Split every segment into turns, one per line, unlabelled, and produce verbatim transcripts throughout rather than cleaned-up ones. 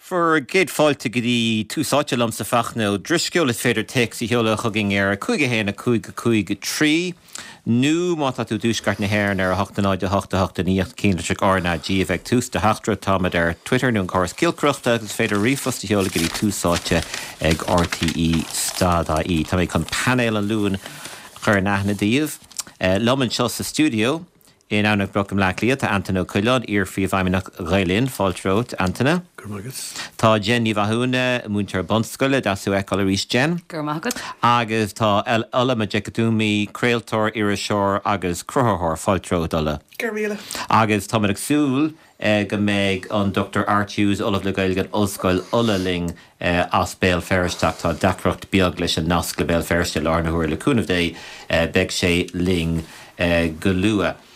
Bhur gcéad fáilte go dtí Tús Áite liomsa Fachtna Ó Drisceoil is féidir téacs a sheoladh chugainn ar cúig a haon a cúig a cúig a trí nó má tá tú i dtuaisceart na hÉireann ar a hocht a náid a hocht a hocht a naoi cinnlitreach R N A G a bheidh tús do theachtaireacht táimid ar Twitter nó an córas giolcaireachta agus is féidir ríomhphost a sheoladh go dtí tús áite ag R T E stad I E. Tá mé chun painéal an Luain a chur in aithne daoibh. Liom anseo sa stiúideo in Abhainn Broc i mBleá Cliath, tá Antaine Ó Coileáin, iar-phríomhfheidhmeannach Ghael Linn, fáilte romhat, Antaine.
Go raibh maith agat.
Tá Jen Ní Mhathúna, múinteoir bunscoile, deas thú a fheiceáil arís, Jen.
Go raibh maith agat.
Agus tá Ola Majekodunmi, craoltóir, iriseoir agus cruthaitheoir, fáilte romhat, Ola.
Go raibh míle.
Agus táimid ag súil go mbeidh an Dochtúir Art Hughes, Ollamh le Gaeilge in Ollscoil Uladh linn as Béal Feirste, ach tá deacracht beag leis an nasc le Béal Feirste i láthair na huaire, le cúnamh Dé, beidh sé linn go luath.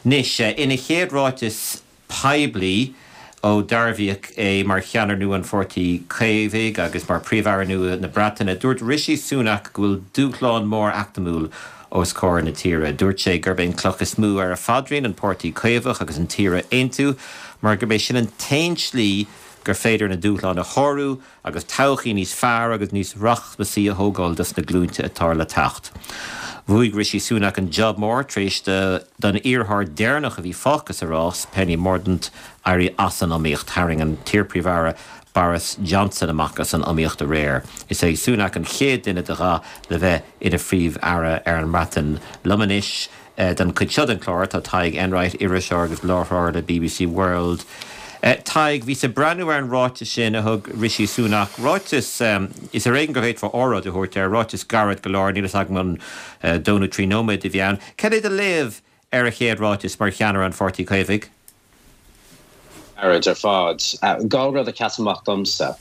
Anois, ina chéad ráiteas poiblí ó dearbhaíodh é mar cheannaire nua an Pháirtí Caomhaigh agus mar Phríomh-Aire nua na Breataine, dúirt Rishi Sunak go bhfuil dúshlán mór eacnamúil os comhair na tíre. Dúirt sé gurb é an cloch is mó ar a phaidrín an Páirtí Caomhach agus an tír a aontú, mar gurb é sin an t-aon slí gur féidir na dúshláin a shárú agus todhchaí níos fearr agus níos rachmasaí a thógáil dos na glúinte atá le teacht. Bhuaigh Rishi Sunak an job mór tar éis don iarrthóir deireanach a bhí fágtha sa rás, Penny Mordaunt, éirí as an iomaíocht. Tharraing an t-iar-phríomh-aire Boris Johnson amach as an iomaíocht aréir. Is é Sunak an chéad duine de dhath le bheith ina phríomh-aire ar an mBreatain. Liom anois don chuid seo den chlár tá Tadhg Enright, iriseoir agus láithreoir le B B C World. Tadhg, bhíos ag breathnú ar an ráiteas sin a thug Rishi Sunak. Ráiteas, is ar éigean go bhféadfá óráid a thabhairt air, ráiteas gairid go leor, níl fhios agam an dó nó trí nóiméad a bhí ann. Cad é do léamh ar a chéad ráiteas mar cheannaire an Pháirtí Caomhaigh?
Gairid ar fad. Dhá rud a sheas amach domsa.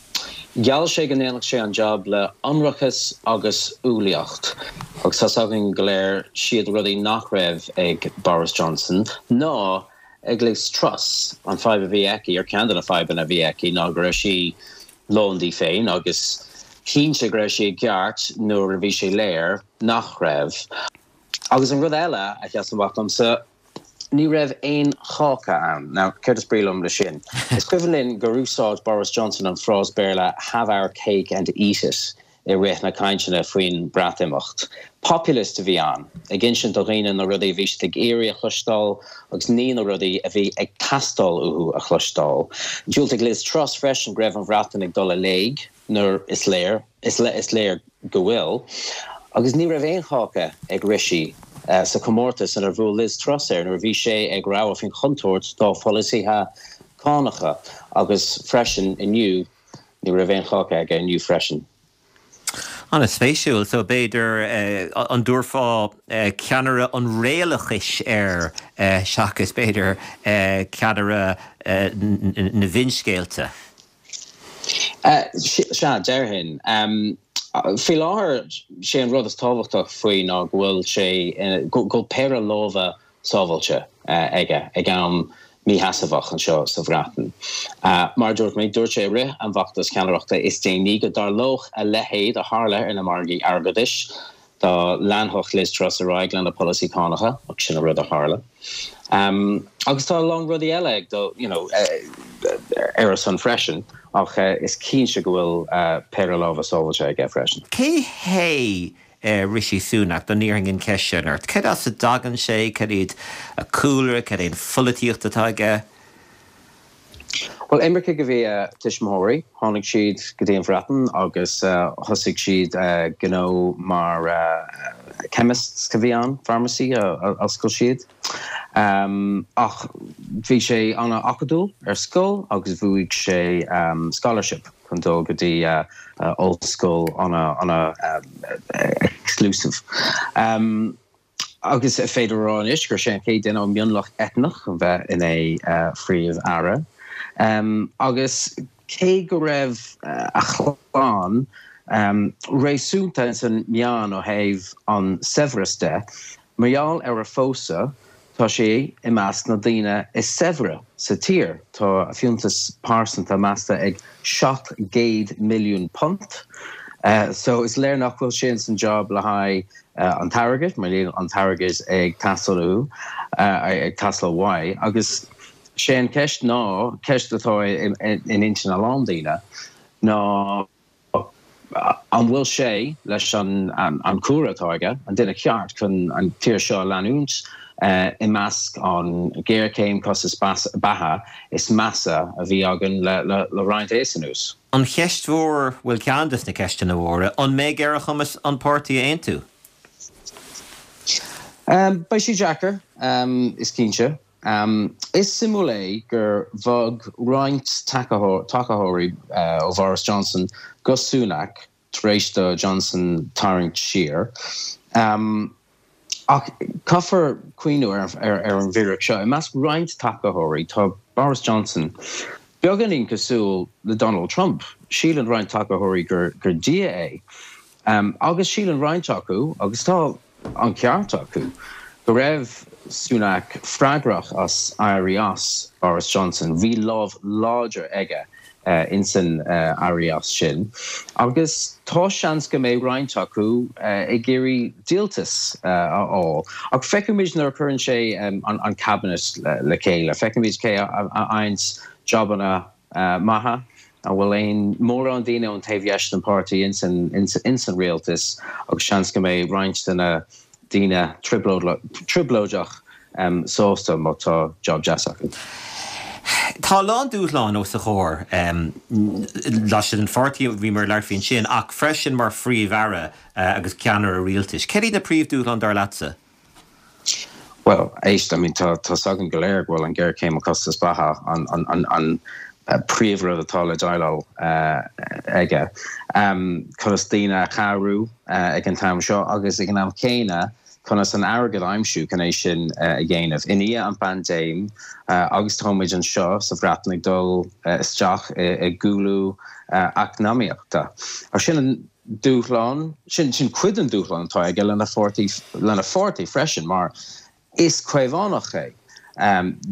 Gheall sé go ndéanfadh sé an job le ionracas agus umhlaíocht, agus tá's againn go léir siad rudaí nach raibh ag Boris Johnson ná ag Liz Truss. An fadhb a bhí aici, ar ceann de na fadhbanna a bhí aici, ná go raibh sí lán di féin agus cinnte go raibh sí i gceart nuair a bhí sé léir nach raibh. Agus an rud eile a sheas amach domsa, ní raibh aon cháca ann. Now, céard is brí liom le sin? Is cuimhin linn gur úsáid Boris Johnson an frás Béarla have our cake and eat it i rith na cainteanna faoin Breatimeacht. Populist a bhí ann, ag insint do dhaoine na rudaí a bhí siad ag iarraidh a chloisteáil agus ní na rudaí a bhí ag teastáil uathu a chloisteáil. Diúltaigh Liz Truss freisin go raibh an Bhreatain ag dul i léig nuair is léir, is le, is léir go bhfuil. Agus ní raibh aon cháca ag Rishi, eh, sa chomórtas inar bhuail Liz Truss air nuair a bhí sé ag rabhadh faoin chontúirt dá pholasaithe cánacha, agus freisin inniu ní raibh aon cháca aige inniu freisin.
An-spéisiúil, so b'fhéidir, eh, an dtabharfá, eh, ceannaire an réalachais air, eh, seachas b'fhéidir, eh, ceannaire, eh, n-, n-, na bhfinscéalta?
Eh, sea, déarfainn. Em, faoi láthair, sé an rud is tábhachtach faoi ná go bhfuil sé, eh, go, go bhfuil péire lámha sábháilte, eh, aige ag am mísheasmhach anseo sa Bhreatain. Eh, mar dúirt mé, dúirt sé i rith an bhfeachtas ceannaireachta is déanaí go dtarlódh a leithéid a tharla ar na margaí airgeadais dá leanfadh Liz Truss ar aghaidh lena polasaí cánacha, ach sin an rud a tharla. Um, agus tá a lán rudaí eile ag dul, you know, eh, ar a son freisin, ach, eh, is cinnte go bhfuil, eh, péire lámha sábháilte aige freisin.
Cé hé, eh, Rishi Sunak, dá n-iarrfainn an cheist sin ort? Cad as a dtagann sé, cad iad a chúlra, cad é an pholaitíocht atá aige?
Well, imircigh a bhí a tuismitheoirí, tháinig siad go dtí an Bhreatain agus, eh, thosaigh siad, eh, gnó mar, eh, chemists a bhí ann, pharmacy a, a oscail siad. Um, ach bhí sé an-acadúil ar scoil agus bhuaigh sé, um, scholarship chun dul go dtí, uh, uh, ollscoil ana, ana, um, exclusive. Um, agus féidir rá anois gur sé an chéad duine ó mhionlach eitneach a bheith ina, uh, phríomh-aire. Um, agus cé go raibh, uh, a chlann, um, réasúnta san meán ó thaobh an saibhreas de, mar gheall ar a phósadh, tá sé i measc na daoine is saibhre sa tír. Tá a fiúntas pearsanta measta ag seacht gcéad milliún punt. Uh, so is léir nach bhfuil sé san job le haghaidh, uh, an t-airgead, mar níl an t-airgead ag teastáil uathu, uh, ag teastáil uaidh, agus Sé an ceist ná, ceist atá in intinn a lán daoine, ná an bhfuil sé, leis an cúlra atá aige, an duine ceart chun an tír seo a leanúint i measc an géarchéim costas beatha is measa a bhí againn le roinnt aos anuas.
An cheist mhór, bhuel ceann des na ceisteanna mhóra, an mbeidh ar a chumas an páirtí a aontú?
Beidh sé deacair, is cinnte. Is suimiúil é gur bhog roinnt tacaitheoirí ó Bhoris Johnson go Sunak tar éis do Johnson tarraingt siar. Ach caithfear cuimhniú ar an bhfíric seo, i measc roinnt tacaitheoirí tá Boris Johnson beagáinín cosúil le Donald Trump. Síleann roinnt tacaitheoirí gur dia é. Agus síleann roinnt acu, agus tá an ceart acu, go raibh Sunak freagrach as éirí as Boris Johnson. Bhí lámh láidir aige insan éirí as sin. Agus tá seans go mbeidh roinnt acu ag iarraidh díoltas a fháil. Ach feicfimid nuair a chuireann sé an cabinet le chéile. Feicfimid cé a fhaigheanns jabanna maithe, an bhfuil aon mórán daoine ón taobh dheis den pháirtí insan rialtas agus seans go mbeidh roinnt de na daoine trioblóideach sásta má tá job deas acu.
Tá a lán dúshlán os a chomhair laistigh den pháirtí, bhíomar ag labhairt faoi ansin, ach freisin mar Phríomh-Aire agus ceannaire rialtais. Céard iad na príomhdhúshláin dar leatsa?
Bhuel, éist, I mean, tá tá's againn go léir go bhfuil an ghéarchéim costas beatha an an an príomhrud atá le déileáil aige. Conas daoine a chabhrú ag an t-am seo agus ag an am céanna conas an airgead a aimsiú chun é sin a dhéanamh. I ndiaidh an phaindéim agus táimid anseo sa Bhreatain ag dul isteach i gcúlú eacnamaíochta. Ach sin an dúshlán, sin sin cuid den dúshlán atá aige lena pháirtí lena pháirtí freisin mar is Caomhánach é.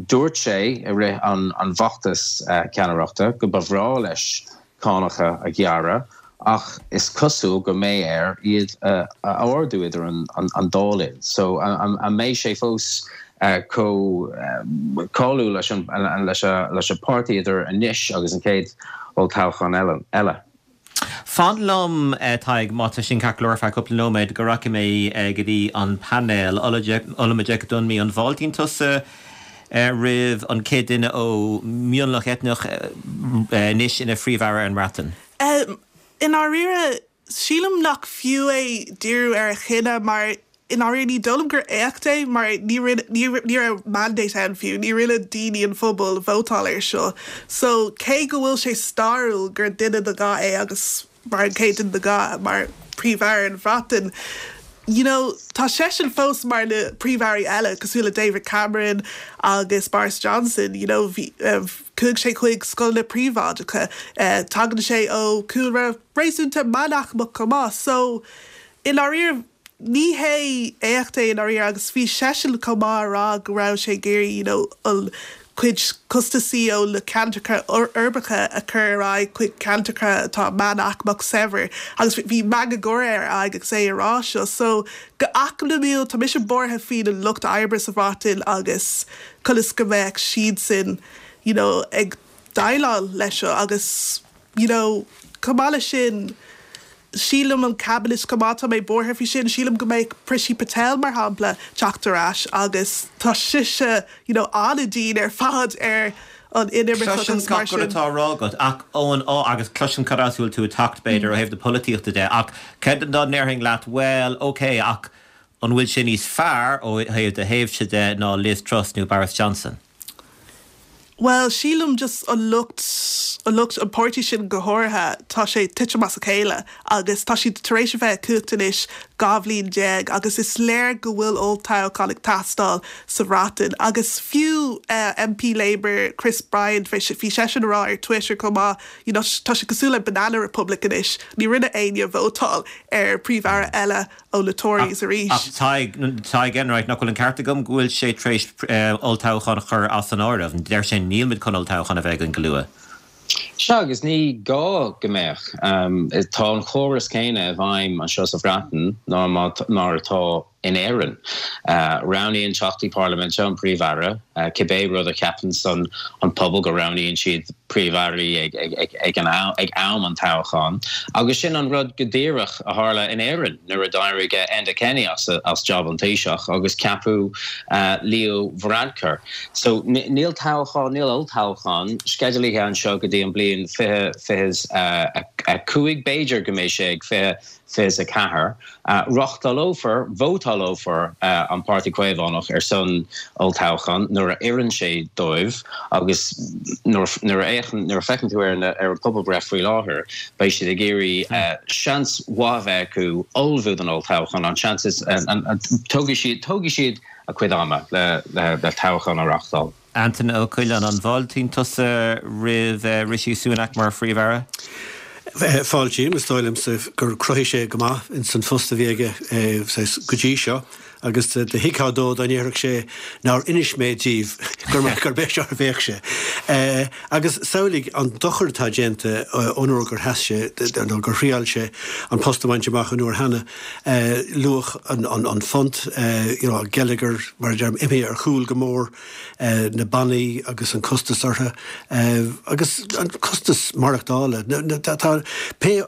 Dúirt sé i rith an an bhfeachtas ceannaireachta go ba bhreá leis cánacha a ghearradh ach is cosúil go mbeidh air iad a ardú idir an an dá linn. So an mbeidh sé fós chomh cáiliúil leis an leis leis an páirtí idir anois agus an chéad olltoghchán eile?
Fan liom, Tadhg, má tá sin ceart go leor ar feadh cúpla nóiméad, go rachaidh mé go dtí an painéal. Ola Majekodunmi, an bhfáiltíonn tusa roimh an chéad duine ó mhionlach eitneach anois ina Phríomh-Aire ar an mBreatain?
I ndáiríre, sílim nach fiú é díriú ar a chine mar i ndáiríre ní dóigh liom gur éacht é mar ní ní raibh mandate ann fiú, ní rinne daoine an phobal vótáil air seo. So cé go bhfuil sé stairiúil gur duine de dhath é agus mar an chéad duine de dhath mar Príomh-Aire an Bhreatain, you know, tá seisean fós mar na príomh-airí eile cosúil le David Cameron agus Boris Johnson, you know, bhí chuaigh sé chuig scoileanna príobháideacha, tagann sé ó chúlra réasúnta meánaicmeach chomh maith. So i ndáiríre ní hé éacht é i ndáiríre agus bhí seisean chomh maith a rá go raibh sé ag iarraidh you know an cuid costasaí ó na ceantracha uirbeacha a chur ar aghaidh chuig ceantracha atá meánaicmeach saibhir agus bhí meangadh gáire ar a aghaidh agus é a rá seo. So go eacnamúil tá mise buartha faoi na lucht oibre sa Bhreatain agus conas go mbeadh siadsan you know ag déileáil leis seo agus you know chomh maith leis sin sílim an cabinet chomh maith tá mé buartha faoi sin, sílim go mbeidh Priti Patel mar shampla teacht ar ais agus tá sise you know an-dian ar fad ar an inimirceach
Cloisim
agus mar
gach rud
sin.
atá á rá agat ach ón á agus cloisim cad as a bhfuil tú ag teacht b'fhéidir ó thaobh na polaitíochta de ach cad dá ndéarfainn leat bhuel ok ach an bhfuil sé níos fearr ó thaobh do thaobhse de ná Liz Truss nó Boris Johnson?
Bhuel, sílim just an lucht, an lucht, an páirtí sin go háirithe, tá sé titim as a chéile agus tá siad tar éis a bheith i gcumhacht anois dhá bhliain déag agus is léir go bhfuil olltoghchán ag teastáil sa Bhreatain agus fiú MP Labour Chris Bryant bhí seisean a rá ar Twitter chomh maith you know tá sé cosúil le Banana Republic anois, ní rinne éinne vótáil ar Príomh-Aire eile ó na Tories arís.
Ach Tadhg Enright, nach bhfuil an ceart agam go bhfuil sé tar éis olltoghchán a chur as an áireamh? Deir sé níl muid chun olltoghchán a bheith againn go luath.
Sea, agus ní gá go mbeadh. Tá an chóras céanna i bhfeidhm anseo sa Bhreatain ná mar atá in Éirinn. Roghnaíonn Teachtaí Parlaiminte an Príomh-Aire, cibé rud a cheapann an pobal go roghnaíonn siad Príomh-Airí ag am an toghcháin. Agus sin an rud go díreach a tharla in Éirinn nuair a d'éirigh Enda Kenny as as job an Taoiseach agus ceapadh Leo Varadkar. So níl toghchán, níl olltoghchán sceidealaithe anseo go dtí an bliain fiche fiche a cúig, b'fhéidir go mbeidh sé ag fiche fiche a ceathair. Reáchtálófar, vótálófar an Páirtí Caomhánach ar son olltoghchán nuair a oireann sé dóibh agus nuair a fhéachann, nuair a feiceann tú ar ar an pobalbhreith faoi láthair, beidh siad ag iarraidh seans mhaith a bheith acu ullmhú don olltoghchán, an seans is, tógfaidh siad, tógfaidh siad a cuid ama le le toghchán a reáchtáil.
Antaine Ó Coileáin, an bhfáiltíonn tusa roimh Rishi Sunak mar Phríomh-Aire?
Fáiltím, is dóigh liomsa gur chruthaigh sé go maith ins an phost a bhí aige go dtí seo agus do thuigfeá dó dá ndéarfadh sé nár inis mé díbh gurb é seo a bheadh sé. Agus samhlaigh an dochar atá déanta ón uair gur sheas sé nó gur thriail sé an post a bhaint amach an uair cheana, luach an phunt, you know, geilleagar mar a deirim imithe ar chúl go mór, na bannaí agus an costas orthu agus an costas maireachtála. Tá pé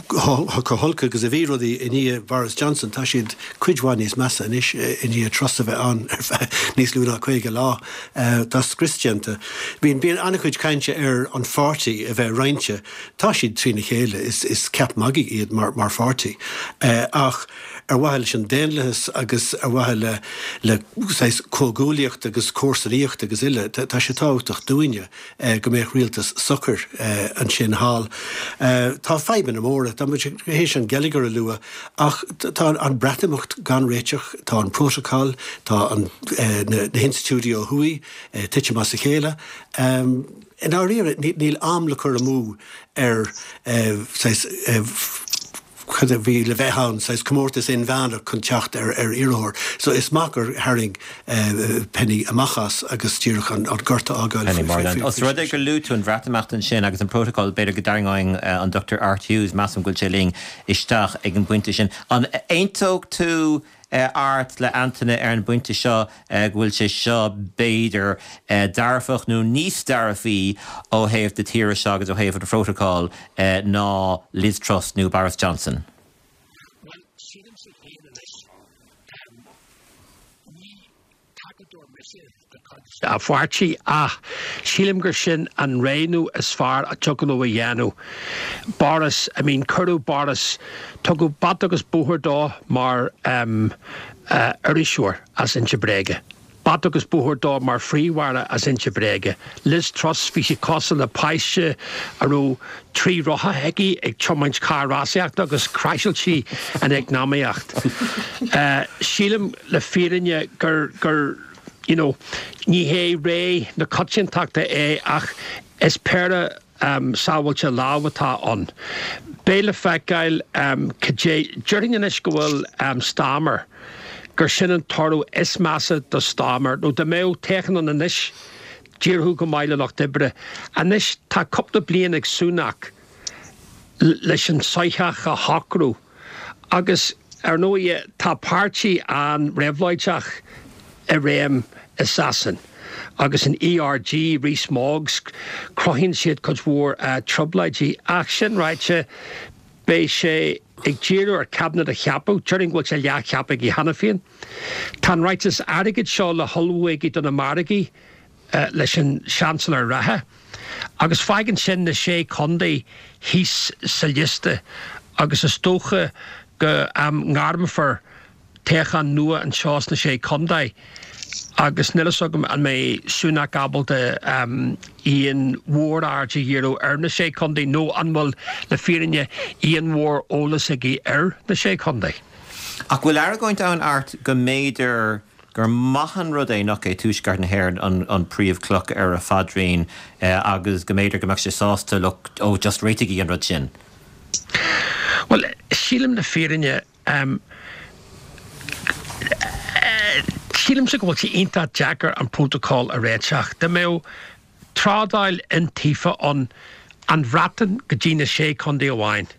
chomh holc agus a bhí rudaí i ndiaidh Boris Johnson, tá siad cuid mhaith níos measa anois i ndiaidh Truss a bheith ann ar feadh níos lú ná caoga lá. Tá scrios déanta. Bíonn bíonn an-chuid cainte ar an pháirtí a bheith roinnte. Tá siad trína chéile, is is ceap magaidh iad mar mar pháirtí. Ach ar mhaithe leis an daonlathas agus ar mhaithe le le saghas comhghuaillíocht agus comharsanaíocht agus uile, tá sé tábhachtach dúinne go mbeadh rialtas socair ansin thall. Tá fadhbanna móra, tá muid théis an geilleagar a lua, ach tá an Breatimeacht gan réiteach, tá an protocol, tá an na hinstitiúidí ó thuaidh titim as a chéile. I ndáiríre, níl am le cur amú ar saghas cad a bhí le bheith ann, saghas comórtas inmheánach chun teacht ar ar iarrthóir. So is maith gur tharraing Penny amach as agus díreach an gorta a fhágáil
Penny Mordaunt. Os rud é gur luaigh tú an Bhreatimeacht ansin agus an protocol, b'fhéidir go dtarraingeoinn an Dochtúir Art Hughes, measaim go bhfuil sé linn, isteach ag an bpointe sin. An aontódh tú Art le Antaine ar an bpointe seo go bhfuil sé seo b'fhéidir dearfach nó níos dearfaí ó thaobh na tíre seo agus ó thaobh an phrótacail ná Liz Truss nó Boris Johnson?
Bhuel, sílimse féin anois, ní tacadóir mise de chuid an pháirtí ach sílim gur sin an roghnú is fearr a dtiocfadh leo a dhéanamh. Boris, I mean cuireadh Boris, tugadh bata agus bóthar dó mar um, uh, iriseoir as inse bréige. Bata agus bóthar dó mar phríomh-aire as inse bréige. Liz Truss bhí sí cosúil le páiste a raibh trí rotha aici ag tiomáint carr rásaíochta agus craiseáil sí an eacnamaíocht. Uh, sílim le fírinne gur gur you know, ní hé ré na coitiantachta é ach is péire um, sábháilte lámh atá ann. Beidh le feiceáil um, cad é déarfainn anois go bhfuil um, Starmer gur sin an toradh is measa do Starmer nó dá mbeadh toghchán ann anois d'éireodh go maith le Lucht Oibre. Anois tá cúpla bliain ag Sunak leis an soitheach a shocrú agus ar ndóigh tá páirtí an-réabhlóideach i réim i Sasain. Agus an ERG Rees-Mogg cruthaíonn siad cuid mhór uh, trioblóidí ach sin ráite beidh sé ag díriú ar cabinet a cheapadh, déarfainn go bhfuil sé leathcheaptha aige cheana féin. Tá an ráiteas airgid seo le hullmhú aige do na margaí uh, leis an Chancellor reatha. Agus fágann sin na sé chontae thíos sa liosta agus is dócha go um, ngairmfear toghchán nua anseo sna sé chontae. Agus níl a fhios agam an mbeidh Sunak ábalta um, aon mhór-aird a dhíriú ar na sé chontae nó an bhfuil le fírinne aon mhór-eolas aige ar na sé chontae.
Ach bhfuil argóint ann Art go mb'fhéidir gur maith an rud é nach é Tuaisceart na hÉireann an, an príomhchloch ar a phaidrín eh, agus go mb'fhéidir go mbeadh sé sásta look ó just réitigí an rud sin.
Well sílim le fírinne um, sílimse go bhfuil sé iontach deacair an protocol a réiteach. Dá mbeadh trádáil iontaofa an an Bhreatain go dtí na sé chontae amháin.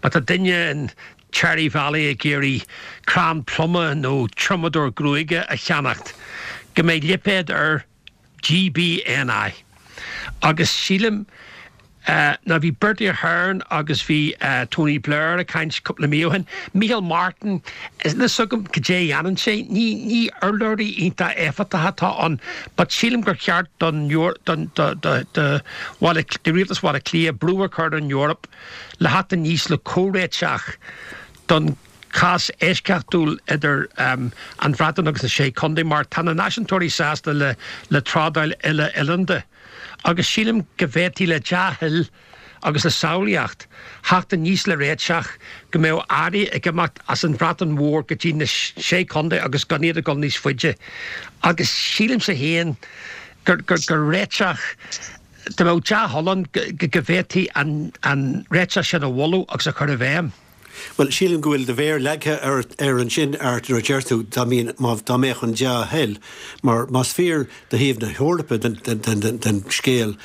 Má tá duine in Cherry Valley ag iarraidh crann pluma nó triomadóir gruaige a cheannacht, go mbeidh lipéad ar G B N I. Agus sílim uh, ná bhí Bertie Ahern agus bhí uh, Tony Blair ag caint cúpla mí ó shin. Micheál Martin is na sugam go dé dhéanann sé ní ní urlabhraí iontach éifeachtach atá ann, but sílim gur cheart don don do do do de rialtas Bhaile Átha Cliath brú a chur an Eoraip le theacht aníos le comhréiteach don cás eisceachtúil idir um, an Bhreatain agus na sé chontae mar tá na náisiúntóirí sásta le le trádáil uile-oileánda. Agus sílim go bhféadfaí le dea-thoil agus le samhlaíocht theacht aníos le réiteach go mbeadh earraí ag imeacht as an Bhreatain Mhór go dtí na sé chontae agus gan iad ag dul níos faide. Agus sílimse féin gur gur gur réiteach de mbeadh dea-thoil ann go bhféadfaí an an réiteach sin a mholadh agus a chur i bhfeidhm.
Well sílim go bhfuil do mhéar leagtha ar ar ansin Art nuair a deir tú dá mbíonn má dá mbeadh an dea-thoil mar más fíor do thaobh na hEorpa den, den, den, den, den scéal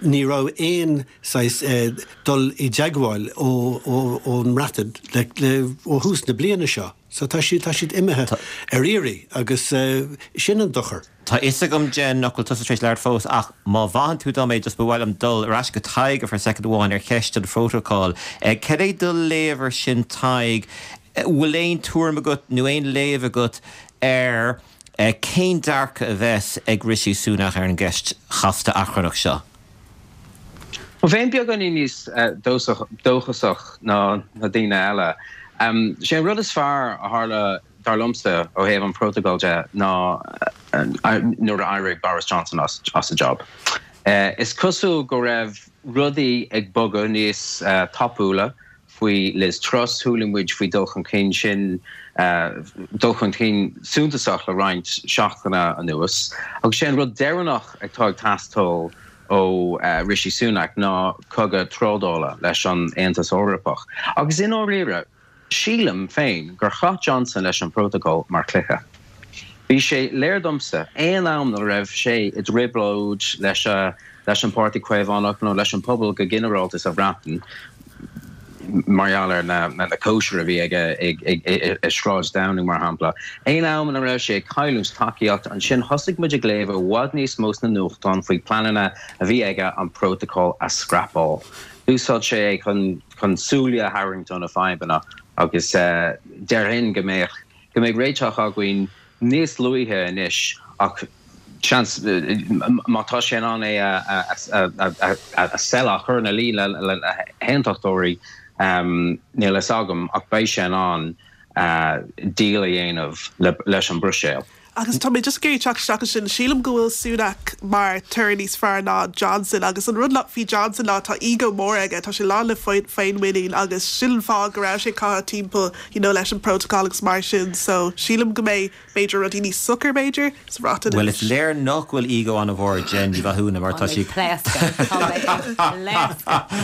ní raibh aon saghas eh, dul i dteagmháil ó ón mBreatain le, le ó thús na bliana seo. So tá siad tá siad imithe ar iarraidh agus uh, sin an dochar.
Tá fhios agam Jen nach bhfuil tusa tar éis labhairt fós ach má mhaitheann tú dom é just ba mhaith liom dul ar ais go Tadhg for second amháin ar cheist an phrótacail. Cad é do léamh air sin Tadhg, bhfuil aon tuairim agat nó aon léamh agat ar cén dearcadh a bheas ag Rishi Sunak ar an gceist chasta achrannach seo.
Well bheinn beagáinín níos dóchasach ná na daoine eile. Um, sé an rud is fearr a tharla dar liomsa ó thaobh an protocol de ná nuair a d'éirigh Boris Johnson as, as a job. Uh, is cosúil go raibh rudaí ag bogadh níos uh, tapúla faoi Liz Truss chuala muid faoi dul chun cinn sin uh, dul chun cinn suntasach le roinnt seachtaine anuas. Agus sé an rud deireanach atá ag teastáil ó uh, Rishi Sunak ná cogadh trádála leis an Aontas Eorpach. Agus i ndáiríre sílim féin gur chaith Johnson leis an protocol mar chluiche. Bhí sé léir domsa aon am a raibh sé i dtrioblóid leis leis an Páirtí Caomhánach nó leis an pobal go ginearálta sa Bhreatain mar gheall ar na na cóisir a bhí ag ag Sráid Downing mar shampla. Aon am a raibh sé cailliúint tacaíocht ansin thosaigh muid ag léamh i bhfad níos mó sna nuachtáin faoi pleananna a bhí aige an protocol a scrapáil. Úsáid sé chun chun súile a tharraingt ó na fadhbanna agus uh, déarfainn go mbeidh go mbeidh réiteach againn níos luaithe anois ach seans má tá sé an é a sell a chur ina luí le le haontachtóirí um, níl a fhios agam ach beidh sé an uh, deal a dhéanamh leis an Bruiséil.
Agus tá mé just ag teacht isteach sin sílim go bhfuil Sunak mar toradh níos fearr ná Johnson agus an rud faoi Johnson ná tá ego mór aige tá sé lán le féinmhuinín agus sin fáth go raibh sé caitheamh timpeall you know, leis an protocol agus mar sin so sílim go mbeidh b'fhéidir rudaí níos socair b'fhéidir sa Bhreatain.
Well is léir nach bhfuil ego an-mhór Jen Ní Mhathúna mar tá sí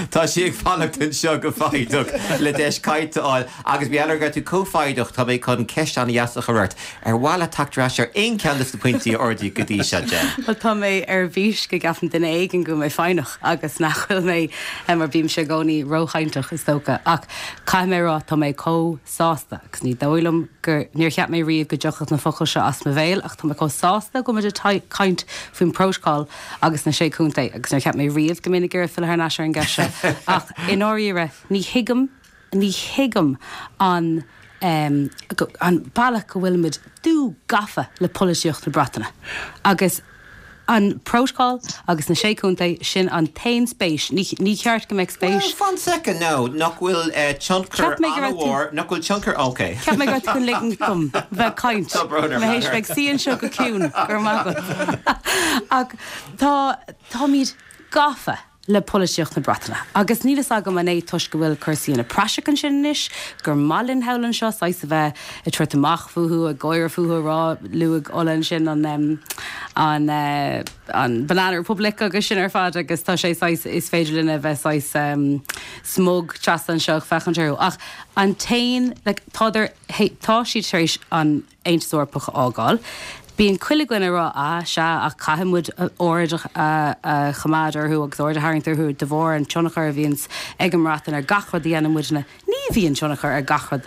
Tá sí ag fanacht anseo go foighdeach le deis cainte a fháil agus bhí eir tú cófaiideach tá mé chun ceist an-deas a chur ort ar mhaith leat teacht ar aon cheann de na pointí a ardaíodh go dtí seo Jen.
Well tá mé ar bís go gceapann duine éigin go mé foighneach agus nach bhfuil mé mar bímse i gcónaí róchainteach is dócha ach caithfidh mé rá tá mé chomh sásta agus ní dóigh liom gur níor cheap mé riamh go dtiocfadh na focail seo as mo bhéal ach tá mé chomh sásta go muid ag caint faoin protocol agus na sé chontae agus níor cheap mé riamh go mbeinn ag iarraidh filleadh thar n-ais ar an gceist seo ach i ndáiríre ní thuigim ní thuigim an um, an bealach go bhfuilimid dúghafa le polaitíocht na Breataine. Agus an protocol agus na sé chontae sin an t-aon spéis ní ceart go mbeadh spéis.
Well, fan second now nach bhfuil uh, tionchar an-mhór nach bhfuil tionchar okay.
Cheap mé go chun ligean dom bheith caint hééis bheith sí seo go ciúin gur maith Ach tá táimid gafa le polaitíocht na Breataine. Agus níl fhios agam an é toisc go bhfuil cúrsaí ina praiseach ansin anois, gur maith linn thall anseo saghas a bheith ag tabhairt amach fúthu ag gáire fúthu rá luaigh Ola ansin an um, an uh, an Banana Republic agus sin ar fad agus tá sé saghas is féidir linn a bheith saghas um, smug trasna anseo féachaint orthu. Ach an t-aon like, tá tá siad tar éis an Aontas Eorpach a fhágáil. Bíonn chuile dhuine ag rá ah sea ach caithfidh muid aird a choimeád orthu agus aird a tharraingt orthu de bharr an tionchar a bhíonns ag an mBreatain ar gach rud a dhéanann muidne. Ní bhíonn tionchar ar gach rud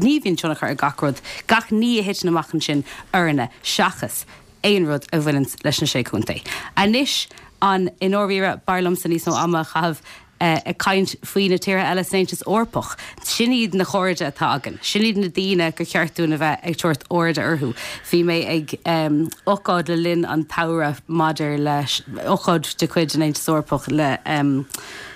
ní bhíonn tionchar ar gach rud, gach ní a thiteann amach ansin orainne seachas aon rud a bhaineanns leis na Sé Chontae. Anois an i ndáiríre b'fhearr liomsa níos mó ama a chaitheamh ag caint faoi na tíortha eile san Aontas Eorpach. Sin iad na cairde atá againn. Sin iad na daoine gur cheart dúinn a bheith ag tabhairt airde orthu. Bhí mé ag ócáid le linn an tsamhraidh maidir leis, ócáid de chuid an Aontais Eorpach le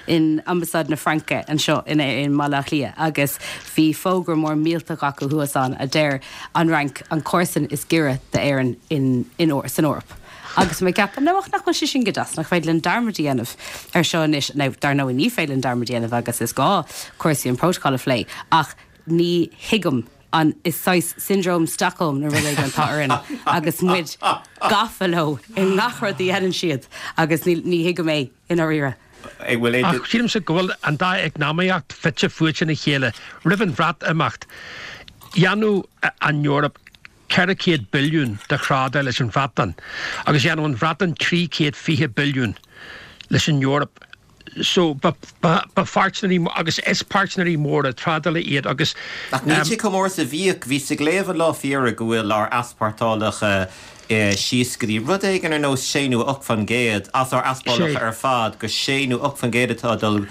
in Ambasáid na Fraince anseo in i mBaile Átha Cliath agus bhí fógra mór millteach acu thuas ann a deir an Fhrainc an comharsan is giorra d'Éirinn in in san Eoraip. Agus mé ag ceapadh, nó ach nach bhfuil sé sin go deas, nach féidir linn dearmad a dhéanamh ar seo anois, nó dar ndóigh ní féidir linn dearmad a dhéanamh agus is gá cúrsaí an prótacal a phlé, ach ní thuigim an is saghas syndrome Stockholm nó rud éigin atá orainn agus muid gafa leo i ngach rud a dhéanann siad agus ní ní thuigim é i ndáiríre.
Ach sílimse go bhfuil an dá eacnamaíocht fite fuaite ina chéile. Roimh an Bhreatimeacht, dhéanadh an Eoraip ceithre chéad billiún de thrádáil leis an Bhreatain agus dhéanadh an Bhreatain trí chéad fiche billiún leis an Eoraip. So ba pháirtnéirí agus is páirtnéirí móra trádála iad agus.
Ach níl sé chomh mór is a bhíodh. Bhíos ag léamh an lá faoi dheireadh go bhfuil ár easpórtálacha síos go dtí rud éigin ar nós sé nó ocht faoin gcéad as ár easpórtálacha ar fad gur sé nó ocht faoin gcéad atá ag dul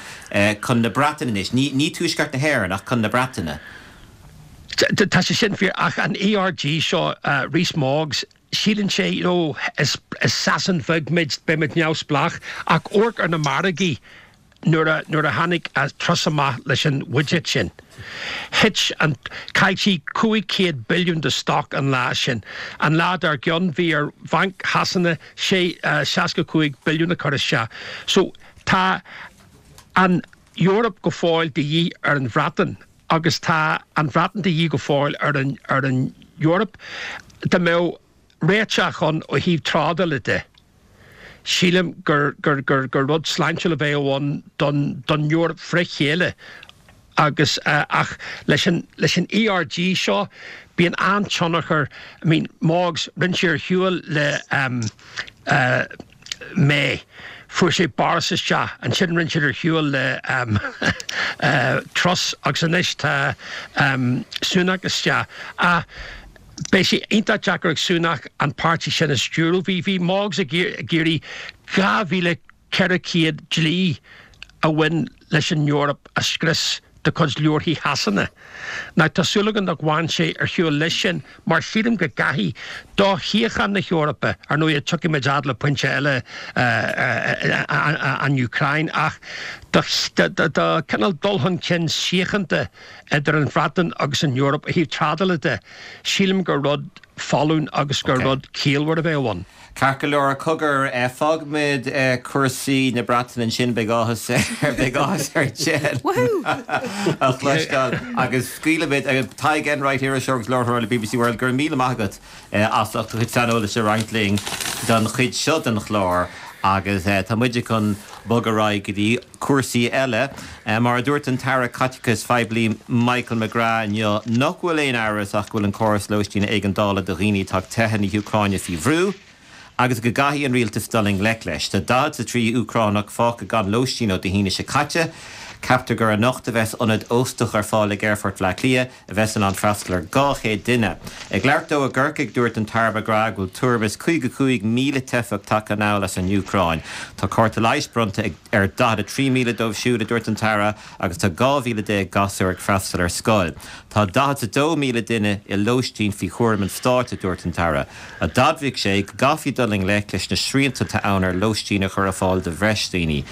chun na Breataine anois. Ní Tuaisceart na hÉireann ach chun na Breataine.
Tá sé sin fíor ach an ERG seo, Rees Moggs, síleann sé, you know, is Sasain bheag muid, beimid neamhspleách ach amharc ar na margaí nuair a, nuair a tháinig Truss amach leis an bhuiséad sin. Thit an, chaill sí cúig chéad billiún de stoc an lá sin. An lá dár gcionn bhí ar Bhanc Shasana sé, seasca cúig billiún a chur isteach. So tá an Eoraip go fóill de dhíth ar an Bhreatain. agus tá an Bhreatain de dhíth go fóill ar an ar an Eoraip. Dá mbeadh réiteach ann ó thaobh trádála de, sílim gur gur gur gur rud sláintiúil a bheadh ann don don Eoraip fré chéile agus ach leis an leis an ERG seo bíonn an-tionchar, I mean Moggs, rinne sé ar shiúl le eh May. Fuair sé Boris isteach, ansin rinne siad ar shiúl le Truss agus anois tá Sunak isteach. Ach beidh sé iontach deacair ag Sunak an páirtí sin a stiúradh. Bhí bhí Moggs ag iarraidh dhá mhíle ceithre chéad dlí a bhain leis an Eoraip a scrios de chuid leabharthaí Shasana. Now tá súil agam nach bhfaigheann sé ar shiúl leis sin mar sílim go gcaithfidh, do shíocháin na hEorpa, ar ndóigh tiocfaidh muid fhad le pointe eile an Úcráin ach do cineál dul chun cinn síochánta idir an Bhreatain agus an Eoraip ó thaobh trádála de, sílim gur rud folláin agus gur rud ciallmhar a bheadh ann.
Ceart go leor, cogar, fágfaimid cúrsaí na Breataine ansin, beidh áthas ar, beidh áthas ar Jen a chloisteáil agus scaoilfimid, Tadhg Enright, iriseoir agus láithreoir le BBC World, go raibh míle maith agat as ucht do chuid saineolais a roinnt linn don chuid seo den chlár agus tá muide chun bogadh ar aghaidh go dtí cúrsaí eile. Mar a dúirt an tAire Caiteachais Phoiblí Michael McGrath inniu nach bhfuil aon amhras ach go bhfuil an córas lóistín éigeandála do dhaoine atá ag teitheadh na hÚcráine faoi bhrú agus go gcaithfidh an rialtas dul i ngleic leis. Tá daichead is a trí Úcránach fágtha gan lóistín ó Dé hAoine seo caite. Ceaptar gur anocht a bheas ionad óstach ar fáil ag Aerfort Bhaile Átha Cliath a bheas in ann freastal ar dhá chéad duine. Ag labhairt dó i gCorcaigh, dúirt an tAire McGrath go bhfuil tuairim is caoga cúig míle teifeach tagtha anall as an Úcráin. Tá cárta leighis bronnta ar daichead a trí míle dóibh siúd, a dúirt an tAire, agus tá dhá mhíle déag gasúr ag freastal ar scoil. Tá daichead is a dó míle duine i lóistín faoi chúram an stáit, a dúirt an tAire. D'admhaigh sé go gcaithfí dul i ngleic leis na srianta atá ann ar lóistín a chur ar fáil do bhreis daoine.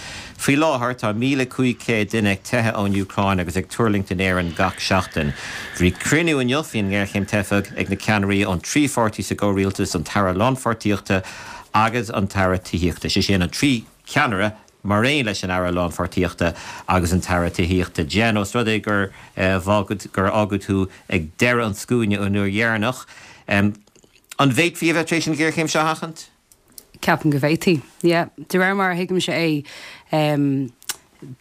Faoi láthair, tá míle cúig chéad duine ag teitheadh ón Úcráin agus ag tuirlingt in Éirinn gach seachtain. Bhí cruinniú inniu faoin ngéarchéim teifeach ag na ceannairí ón trí pháirtí sa gcomhrialtas, an tAire Lánpháirtíochta agus an tAire Tithíochta, sé sin an trí cheannaire mar aon leis an Aire Lánpháirtíochta agus an tAire Tithíochta. Jen, ós rud é gur gur fhágadh tú ag deireadh an scuaine an uair dheireanach, an bhféadfaí a bheith tar éis an ghéarchéim seo a sheachaint?
Ceapaim go bhféadfaí, yeah. De réir mar a thuigimse é,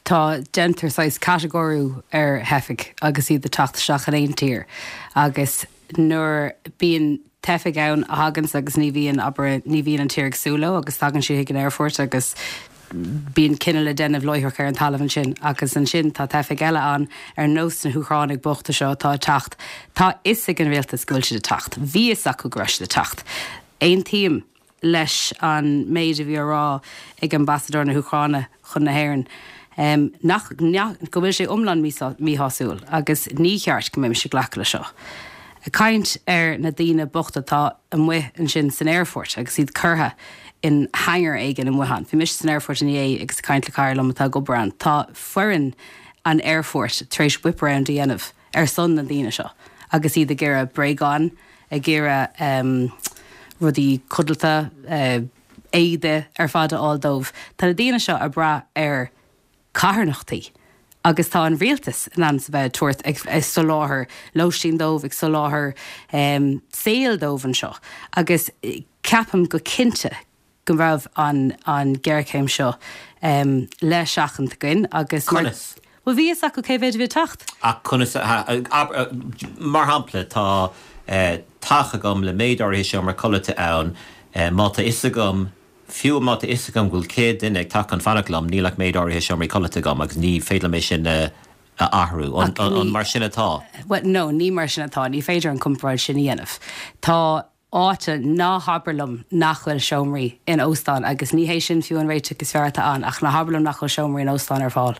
tá, déantar saghas catagóiriú ar theifigh agus iad ag teacht isteach in aon tír agus nuair bíonn teifigh ann a thaganns agus ní bhíonn, abair, ní bhíonn an tír ag súil leo agus tagann siad chuig an aerfort agus bíonn cinneadh le déanamh láithreach ar an talamh ansin agus ansin tá teifigh eile ann ar nós na hÚcránaigh bochta seo atá ag teacht. Tá fhios ag an rialtas go bhfuil siad ag teacht. Bhí fhios acu go raibh siad ag teacht. Aontaím leis an méid a bhí á rá ag ambasadóir na hÚcráine chun na hÉireann, nach, go bhfuil sé iomlán míshásúil agus ní cheart go mbeimis ag glacadh le seo. Ag caint ar na daoine bochta atá amuigh ansin san aerfort agus iad curtha in hangar éigin amuigh ann. Bhí mise san aerfort inné agus ag caint le cara liom atá ag obair ann. Tá foireann an aerfoirt tar éis whip round a dhéanamh ar son na ndaoine seo agus iad ag iarraidh bréagáin, ag iarraidh rudaí codlata, éide ar fad a fháil dóibh. Tá na daoine seo ag brath ar carthanachtaí agus tá an rialtas in ainm is a bheith ag tabhairt, ag soláthar lóistín dóibh, ag soláthar saoil dóibh anseo agus ceapaim go cinnte go raibh an an ghéarchéim seo le seachaint againn agus mar.
Conas?
Bhuel bhí fhios acu cé mhéid a bhí ag teacht.
Ach conas a, mar shampla tá teach agam le méid áirithe seomra codlata ann, má tá fhios agam, fiú má tá fhios agam go bhfuil céad duine ag teacht chun fanacht liom, níl ach méid áirithe seomraí codlata agam agus ní féidir liom é sin a athrú. An mar sin atá?
Bhuel, no, ní mar sin atá. Ní féidir an comparáid sin a dhéanamh. Tá áit, ná habair liom nach bhfuil seomraí in óstán agus ní hé sin fiú an réiteach is fearr atá ann ach ná habair liom nach bhfuil seomraí in óstán ar fáil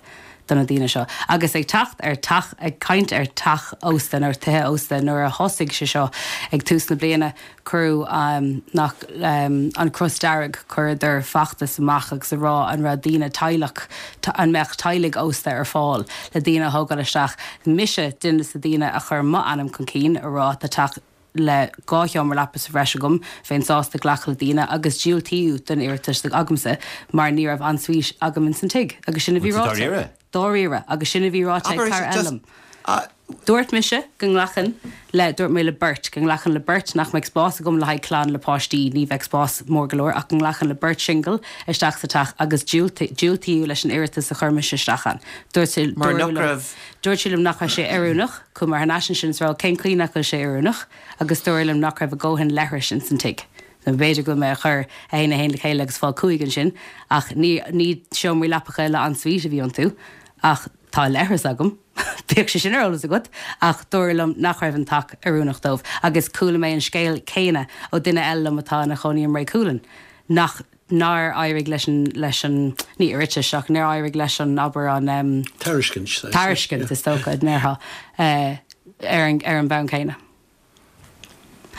do na daoine seo. Agus ag teacht ar teach, ag caint ar teach ósta nó ar tithe ósta nuair a thosaigh sé seo ag tús na bliana, cuireadh nach an Cros Dearg, chuireadar feachtas amach agus a rá an raibh daoine teaghlach, an mbeadh teaghlaigh ósta ar fáil le daoine a thógáil isteach. Mise duine des na daoine a chuir m'ainm chun cinn a rá tá teach le dhá sheomra leapa sa bhreis agam, bheinn sásta glacadh le daoine agus diúltaíodh don iarratas agamsa mar ní raibh ensuite agam ins an tigh agus sin a bhí ráite.
Dáiríre?
Dáiríre agus sin a bhí ráite ag cara eile liom. Dúirt mise go nglacfainn le, dúirt mé le beirt, go nglacfainn le beirt, nach mbeadh spás agam le haghaidh clann le páistí, ní bheadh spás mór go leor, ach go nglacfainn le beirt singil isteach sa teach agus diúltaíodh leis an iarratas a chuir mise isteach ann. Dúirt sé,
Mar nach raibh.
Dúirt sé liom nach raibh sé oiriúnach, chuaigh mé thar n-ais ansin is rá cén chaoi nach bhfuil sé oiriúnach agus dúradh liom nach raibh a dhóthain leithris ins an tigh. Nó b'fhéidir go bhfuil mé ag cur a haon a haon le chéile agus fáil cúig ansin ach ní, ní seomraí leapacha le ensuite a bhí iontu ach tá leithreas agam, bíodh sé sin ar eolas agat, ach dúradh liom nach raibh an teach oiriúnach dóibh agus chuala mé an scéal céanna ó duine eile liom atá ina chónaí i mBré Cualann nach nár éirigh leis an, leis an, ní iarratas ach nár éirigh leis an, abair an.
Tairiscint.
Tairiscint is dócha a ndéarfá ar an, ar an mbonn céanna.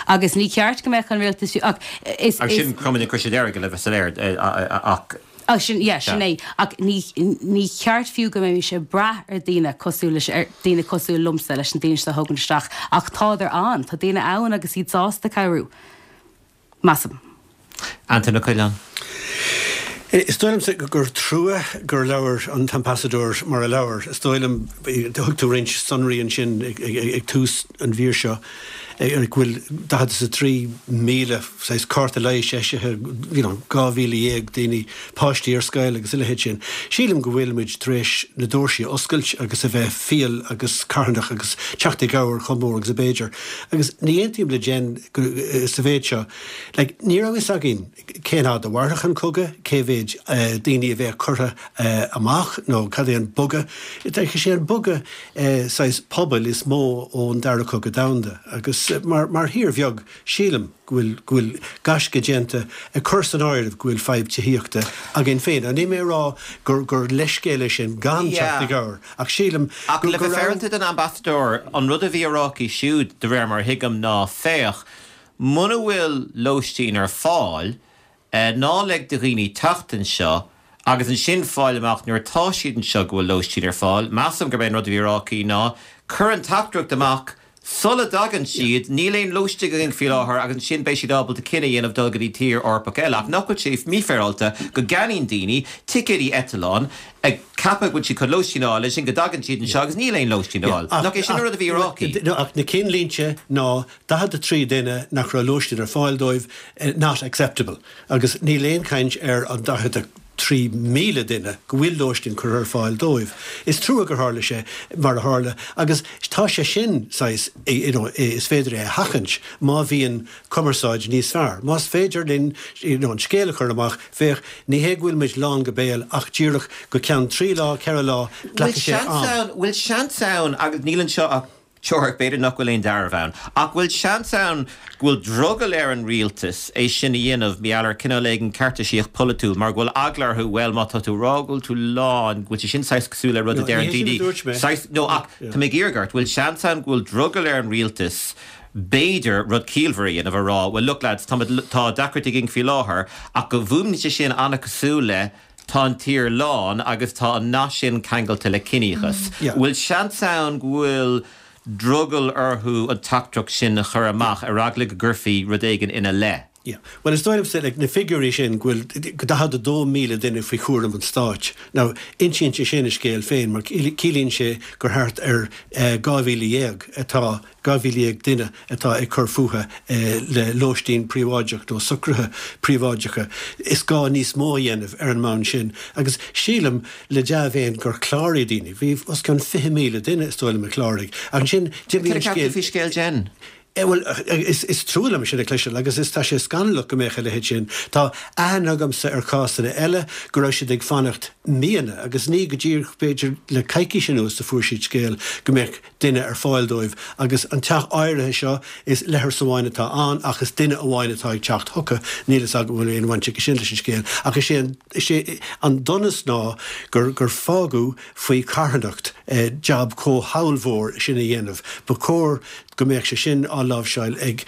Agus ní ceart go mbeadh an rialtas ach is.
Agus sin Cumann na Croise Deirge le bheith soiléir ach.
Ach sin, yeah, sin é. Ach ní, ní ceart fiú go mbeimis ag brath ar daoine cosúil leis, ar daoine cosúil liomsa leis na daoine seo a thógaint isteach ach tádar ann, tá daoine ann agus iad sásta cabhrú. Measaim.
Antaine Ó Coileáin.
Is dóigh liomsa gur trua gur labhair an t-ambasadóir mar a labhair. Is dóigh liom, thug tú roinnt sonraí ansin ag tús an mhír seo, go bhfuil daichead is a trí míle saghas cárta leighis eisithe, you know, dhá mhíle dhéag daoine, páistí ar scoil agus a leithéid sin. Sílim go bhfuil muid tar éis na doirsí a oscailt agus a bheith fial agus carthanach agus teacht i gcabhair chomh mór agus ab fhéidir. Agus ní aontaím le Jen sa mhéid seo. Like, ní raibh fhios againn cén fhad a mhairfeadh an cogadh, cé mhéid daoine a bheadh curtha amach nó cad é an bogadh. Is é an bogadh saghas pobail is mó ón Dara Cogadh Domhanda agus mar, mar thír bheag sílim go bhfuil, go bhfuil gaisce déanta ag cur san áireamh go bhfuil fadhb tithíochta againn féin. Níl mé ag rá gur, gur leithscéal é sin gan teacht i gcabhair ach sílim
Ach
go,
le
go
bheith
raibh.
féaráilte don ambasadóir, an rud a bhí á rá aici siúd, de réir mar a thuigim, ná féach, Muna bhfuil lóistín ar fáil, ná lig do dhaoine teacht anseo agus ansin fáil amach nuair atá siad anseo go bhfuil lóistín ar fáil. Measaim gurb é an rud a bhí á rá aici ná, cuir an teachtaireacht amach sula dtagann siad, níl aon lóistín againn faoi láthair agus ansin beidh siad ábalta cinneadh a dhéanamh dul go dtí tír Eorpach eile. Ach nach bhfuil sé mífhéaráilte go gceannaíonn daoine ticéidí eitleáin ag ceapadh go bhfuil siad chun lóistín a fháil, ansin go dtagann siad anseo agus níl aon lóistín ar fáil. Nach é sin an rud a bhí á rá aici?
Ach na cinnlínte ná daichead a trí duine nach raibh lóistín ar fáil dóibh, not acceptable. Agus níl aon chaint ar an daichead a trí míle duine go bhfuil lóistín curtha ar fáil dóibh. Is trua gur tharla sé mar a tharla agus tá sé sin saghas you know, is féidir é a sheachaint má bhíonn cumarsáid níos fearr. Más féidir linn you know, an scéal a chur amach, féach ní hé go bhfuil muid lán go béal ach díreach go ceann trí lá, ceithre lá, glacfaidh sé am.
Bhfuil seans ann agus níl anseo ach teoiric, b'fhéidir nach bhfuil aon dearbh ann, ach bhfuil seans ann go bhfuil drogall ar an rialtas é sin a dhéanamh mar gheall ar cineál éigin ceartaisíocht polaitiúil mar go bhfuil eagla orthu, bhuel má tá tú ag rá go bhfuil tú lán, go bhfuil sé sin saghas cosúil le rud a deir an daoine, saghas, no ach tá mé ag iarraidh ort, bhfuil seans ann go bhfuil drogall ar an rialtas b'fhéidir rud ciallmhar a dhéanamh a rá, well look lads, tá tá deacracht againn faoi láthair ach go bhfuaimníonn sé sin an-cosúil le tá an tír lán agus tá an nath sin ceangailte le ciníochas. Bhfuil seans ann go bhfuil drogall orthu an teachtaireacht sin a chur amach ar eagla go gcuirfí rud éigin ina leith?
Yeah. Well is dóigh liomsa like, na figiúirí sin go bhfuil daichead a dó míle duine faoi chúram an stáit. Now insíonn sé sin a scéal féin mar ciallaíonn sé gur thart ar dhá mhíle dhéag atá dhá mhíle dhéag duine atá ag cur fúthu le lóistín príobháideach nó socruithe príobháideacha. Is gá níos mó a dhéanamh ar an mbonn sin agus sílim le dea-mhéin gur chláraigh daoine. Bhí os cionn fiche míle duine is dóigh liom a chláraigh. Ach ansin d'imigh an
Cad a
scéal.
cheap tú faoi scéal Jen?
Bhuel, is trua liom sin a chloisteáil agus is tá sé scannalach go mbeadh a leithéid sin. Tá aithne agamsa ar chásanna eile go raibh siad ag fanacht míonna agus ní go díreach b'fhéidir le coicís anuas a fuair siad scéal go mbeadh duine ar fáil dóibh agus an teach áirithe seo is leithreas amháin atá ann ach is duine amháin atá ag teacht chucu. Níl fhios agam an bhfuil aon bhaint aige sin leis an scéal ach is é an is é an donas ná gur gur fágadh faoi charthanacht jab chomh hollmhór sin a dhéanamh. Ba chóir go mbeadh sé sin á láimhseáil ag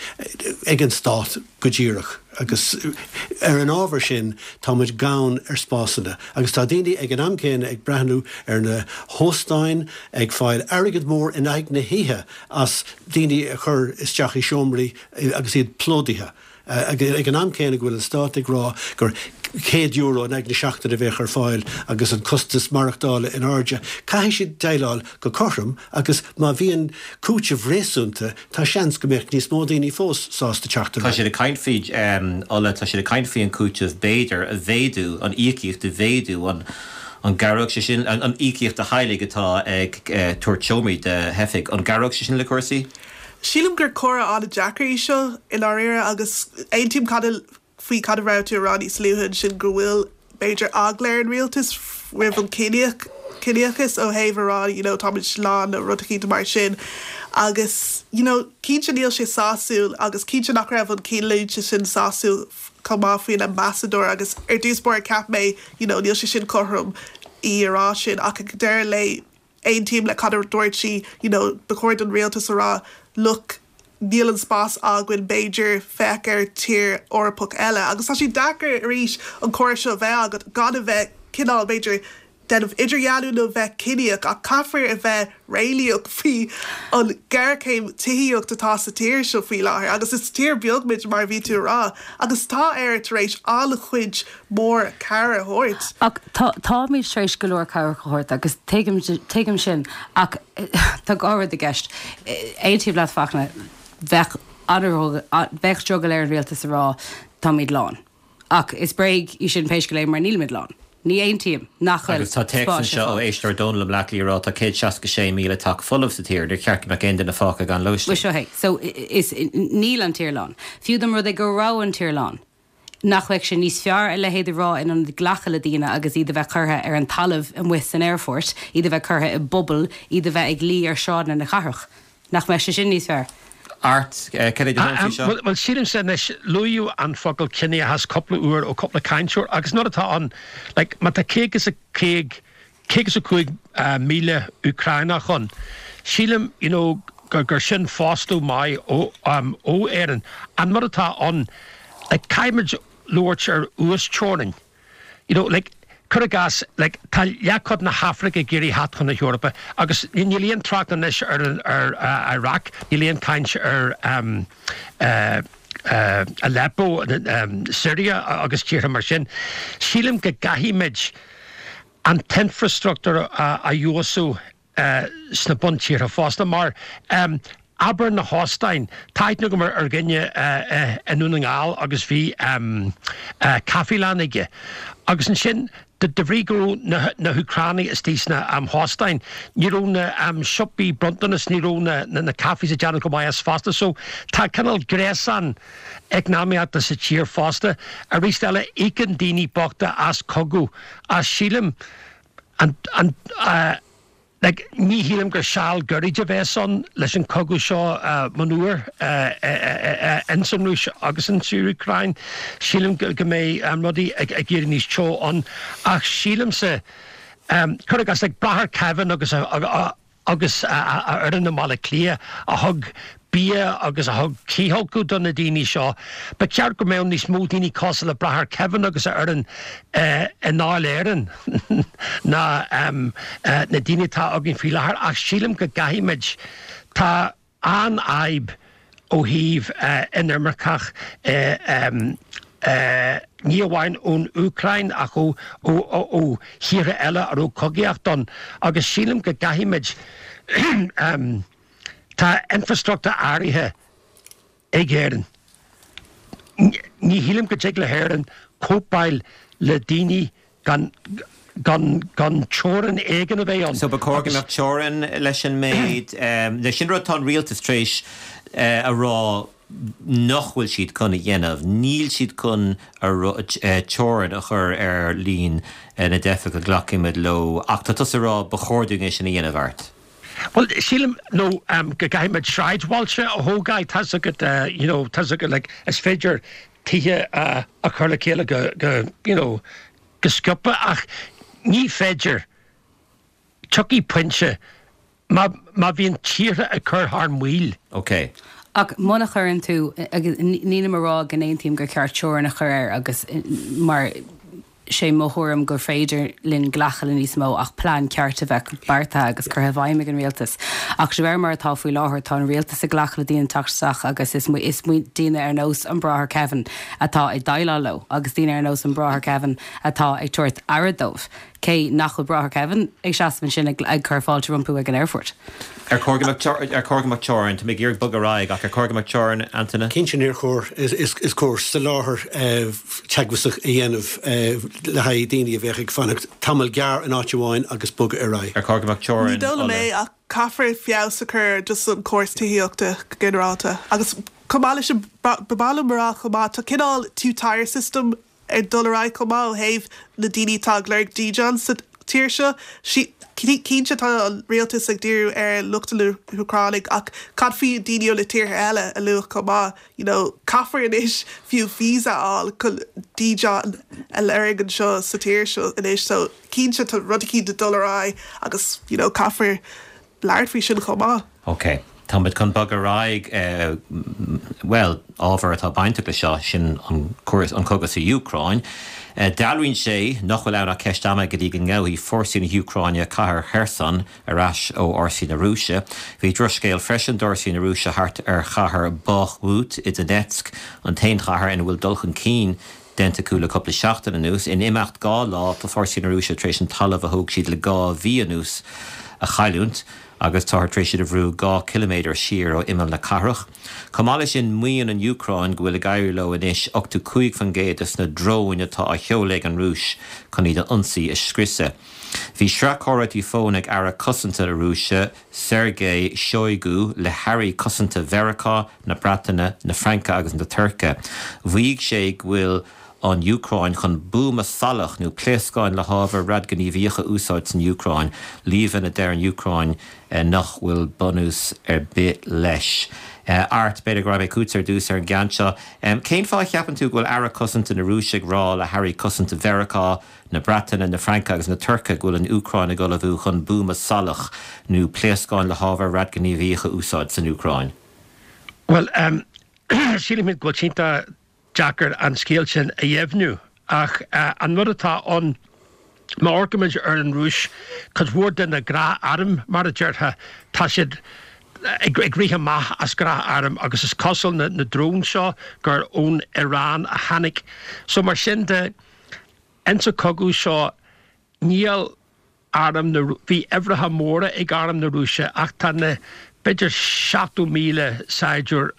ag an Stát go díreach agus ar an ábhar sin tá muid gann ar spásanna agus tá daoine ag an am céanna ag breathnú ar na hóstáin ag fáil airgead mór in aghaidh na hoíche as daoine a chur isteach i seomraí agus iad plódaithe. Ag an am céanna go bhfuil an Stát ag rá gur céad euro in aghaidh na seachtaine a bheadh ar fáil agus an costas maireachtála in airde, caithfidh siad déileáil go cothrom agus má bhíonn cúiteamh réasúnta tá seans go mbeadh níos mó daoine fós sásta teacht ar
Tá siad ag caint faoi, Ola, tá siad ag caint faoi an cúiteamh b'fhéidir a mhéadú, an íocaíocht a mhéadú, an an gcabhródh sé sin, an íocaíocht do theaghlaigh atá ag tabhairt seomraí do theifigh, an gcabhródh sé sin le cúrsaí?
Sílim gur comhrá an-deacair í seo i ndáiríre agus aontaím cad a faoi cad a raibh tú a rá níos luaithe ansin go bhfuil b'fhéidir eagla ar an rialtas roimh an ciníoch ciníochas ó thaobh a rá you know táimid lán nó rud eicínt mar sin agus you know cinnte níl sé sásúil agus cinnte nach raibh an cinnlínte sin sásúil chomh maith faoin ambasadóir agus ar dtús báire cheap mé you know níl sé sin cothrom í a rá sin ach ag deireadh lae aontaím le cad a dúirt sí you know ba chóir don rialtas a rá look níl an spás againn b'fhéidir féach ar tír Eorpach eile agus tá sé deacair arís an comhrá seo a bheith agat gan a bheith cineál b'fhéidir déanamh idirdhealú nó bheith ciníoch ach caithfear a bheith réalaíoch faoi an géarchéim tithíocht atá sa tír seo faoi láthair agus is tír beag muid mar a bhí tú a rá agus tá Éire tar éis an-chuid mór cabhair a thabhairt.
Ach tá táimid tar éis go leor cabhrach a thabhairt agus tuigim tuigim sin ach tá dhá rud i gceist. Aontaím leat Fachtna, bheadh bheadh drogall ar an rialtas a rá táimid lán. Ach is bréag í sin pé scéal é mar nílimid lán. Ní aontaím nach bhfuil
Agus tá téacs
spáis ar
anseo ó
fáil.
éisteoir Dónal i mBleá Cliath ag rá tá céad seasca sé míle teach folamh sa tír, níor cheart go mbeadh aon duine fágtha gan
Bhuel
lóistín.
seo é. So is níl an tír lán. Fiú dá mba rud é go raibh an tír lán, nach mbeadh sé níos fearr a leithéid a rá in ionad glacadh le daoine agus iad a bheith curtha ar an talamh amuigh san aerfort, iad a bheith curtha i bpubaill, iad a bheith ag luí ar shráideanna na cathrach. Nach mbeadh sé sin níos fearr?
Art, cad é do thuairim faoi seo?
Bhuel, sílimse anois, luadh an focal ciníochas cúpla uair ó cúpla cainteoir agus nuair atá ann, like, má tá céad is a céad, céad is a cúig míle Úcránach ann, sílim, you know, gur, gur sin fostú maith ó, um, ó Éirinn. An rud atá ann, like, caithfimid labhairt ar uasteorainn. You know, like, cuir i gcás, like, tá leathchuid na hAfraice ag iarraidh theacht chun na hEorpa agus níl aon trácht anois ar an, ar uh, Iraq, níl aon caint ar um, uh, uh, Aleppo, um, Syria agus tíortha mar sin. Sílim go gcaithfimid an t-infrastruchtúr a, a fheabhsú uh, sna buntíortha fosta mar um, Abair na hóstáin, tá aithne agam ar dhuine i nDún na nGall agus bhí caifelann aige agus ansin de bhrí go raibh na hÚcránaigh istigh sna hóstáin, ní raibh na siopaí bronntanas, ní raibh na cafés ag déanamh go maith as fosta. So tá cineál gréasán eacnamaíochta sa tír fosta. Arís eile, íocann daoine bochta as cogadh, as sílim an, an, Like, ní shílim gur seal gairid a bheas ann leis an cogadh seo monuar ins an Rúis agus ins an Úcráin. Sílim go mbeidh rudaí ag éirí níos teo ann. Ach sílimse, cuir i gcás, like, Bráthair Kevin agus agus a fhoireann i mBaile Átha Cliath a thug bia agus a thug cithfholcadh do na daoine seo. Ba cheart go mbeadh níos mó daoine cosúil le Bráthair Kevin agus a fhoireann i nDáil Éireann ná na daoine atá againn faoi láthair ach sílim go gcaithfimid, tá an-fhadhb ó thaobh inimirceach ní amháin ón Úcráin ach ó thíortha eile a raibh cogaíocht ann agus sílim go gcaithfimid Tá infrastruchtúr áirithe ag Éirinn. Ní shílim go dtig le hÉirinn cóipeáil le daoine gan gan gan teorainn éigin a bheith ann.
So ba chóir go mbeadh teorainn leis an méid, leis sin rud atá an rialtas tar éis a rá nach bhfuil siad chun a dhéanamh. Níl siad chun teorainn a chur ar líon na dteifeach a ghlacfaimid leo. Ach tá tusa ag rá ba chóir dúinn é sin a dhéanamh, Art.
Bhuel, sílim, nó go gcaithfimid sráidbhailte a thógáil, tá's agat, you know, tá's agat, like, is féidir tithe a chur le chéile go, go, you know, go sciobtha ach ní féidir, tiocfaidh pointe má, má bhíonn tíortha ag cur thar maoil.
Ok.
Ach muna chuireann tú, agus nílim ag rá go n-aontaím gur ceart teorainn a chur air agus mar sé mo thuairim gur féidir linn glacadh le níos mó ach plean ceart a bheith beartaithe agus curtha i bhfeidhm ag an rialtas. Ach de réir mar atá faoi láthair tá an rialtas ag glacadh le daoine teacht isteach agus is is daoine ar nós an Bráthair Kevin atá ag déileáil leo agus daoine ar nós an Bráthair Kevin atá ag tabhairt aire dóibh. Cé nach bhfuil Bráthair Kevin ag seasamh ansin ag cur fáilte rompu ag an aerfort.
Ar chóir go mbeadh ar chóir go mbeadh teorainn, tá mé ag iarraidh bogadh ar aghaidh ach ar chóir go mbeadh teorainn, Antaine?
Cinnte níor chóir, is cóir soláthar teagmhasach a dhéanamh le haghaidh daoine a bheadh ag fanacht tamall gearr in áit amháin agus bogadh ar aghaidh.
Ar chóir go mbeadh teorainn,
Ní dóigh liom
Ola?
é ach caithfear feabhas a chur ar just an córas tithíochta go ginearálta agus chomh maith leis sin ba mhaith liom a rá chomh maith tá cineál two-tier system ag dul ar aghaidh chomh maith ó thaobh na daoine atá ag lorg dídean sa tír seo. Cinnte tá an rialtas ag díriú ar lucht na hÚcránaigh ach cad faoi daoine ó na tíortha eile a luadh chomh maith? You know, caithfear anois fiú visa a fháil chun dídean a lorg anseo sa tír seo anois so cinnte tá rud eicínt ag dul ar aghaidh agus you know caithfear labhairt faoi sin chomh maith.
Ok. Táimid chun bogadh ar aghaidh, bhuel, ábhar atá bainteach le seo, sin an an cogadh sa Úcráin. Dealraíonn sé nach bhfuil ann ach ceist ama go dtí go ngabhfaidh fórsaí na hÚcráine cathair Kherson ar ais ó fhórsaí na Rúise. Bhí drochscéal freisin d'fhórsaí na Rúise thart ar chathair Bakhmut i Donetsk, an t-aon chathair ina bhfuil dul chun cinn déanta acu le cúpla seachtain anuas. In imeacht dhá lá, tá fórsaí na Rúise tar éis an talamh a thóg siad le dhá mhí anuas a chailliúint agus táthar tar éis iad a bhrú dhá chiliméadar siar ó imeall na cathrach. Chomh maith leis sin, maíonn an Úcráin go bhfuil ag éirí leo anois ochtó cúig faoin gcéad de na dróin atá á sheoladh ag an Rúis chun iad a ionsaí a scriosadh. Bhí sraith comhráití fóin ag Aire Cosanta na Rúise, Sergei Shoigu, le hairí cosanta Mheiriceá, na Breataine, na Fraince agus na Tuirce. Mhaígh sé go bhfuil an Úcráin chun buama salach nó pléascáin le hábhar radaighníomhach a úsáid san Úcráin, líomhain a deir an Úcráin nach bhfuil bunús ar bith leis. Art, b'fhéidir go rachaidh mé chugatsa ar dtús ar an gceann seo. Cén fáth a cheapann tú go bhfuil Aire Cosanta na Rúise ag rá le hairí cosanta Mheiriceá, na Breataine, na Fraince agus na Tuirce go bhfuil an Úcráin ag ullmhú chun buama salach nó pléascáin le hábhar radaighníomhach a úsáid san Úcráin?
Bhuel, sílim go bhfuil sé iontach deacair an scéal sin a dheimhniú ach an rud atá ann, má amharcaimid ar an Rúis, cuid mhór de na gnáthairm, mar a déarfá, tá siad ag rith amach as gnáthairm agus is cosúil na na dróin seo gur ón Iran a tháinig. So mar sin de, insa chogadh seo níl arm na, bhí uimhreacha móra ag arm na Rúise ach tá na b'fhéidir seachtó míle saighdiúir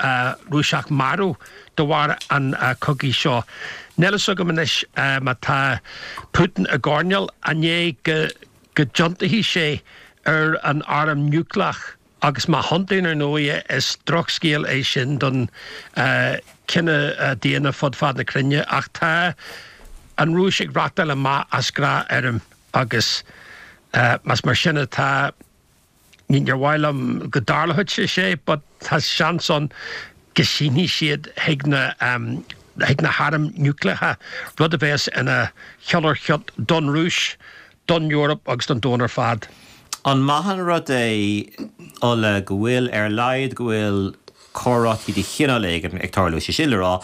Rúiseach marbh de bharr an chogaidh seo. Níl a fhios agam anois má tá Putin i gcoirnéal an é go go dtiontóidh sé ar an arm núicléach agus má thiontaíonn ar ndóigh is drochscéal é sin don chine daonna fud fad na cruinne ach tá an Rúis ag reáchtáil amach as gnáthairm agus más mar sin atá níor mhaith liom go dtarlódh sé sé but tá seans ann go sínfidh siad chuig na chuig na hairm núicléacha, rud a bheas ina chiolar-chiot don Rúis, don Eoraip agus don domhan ar fad.
An maith an rud é, Ola, go bhfuil, ar a laghad, go bhfuil comhráití de chineál éigin ag tarlú, sé sin le rá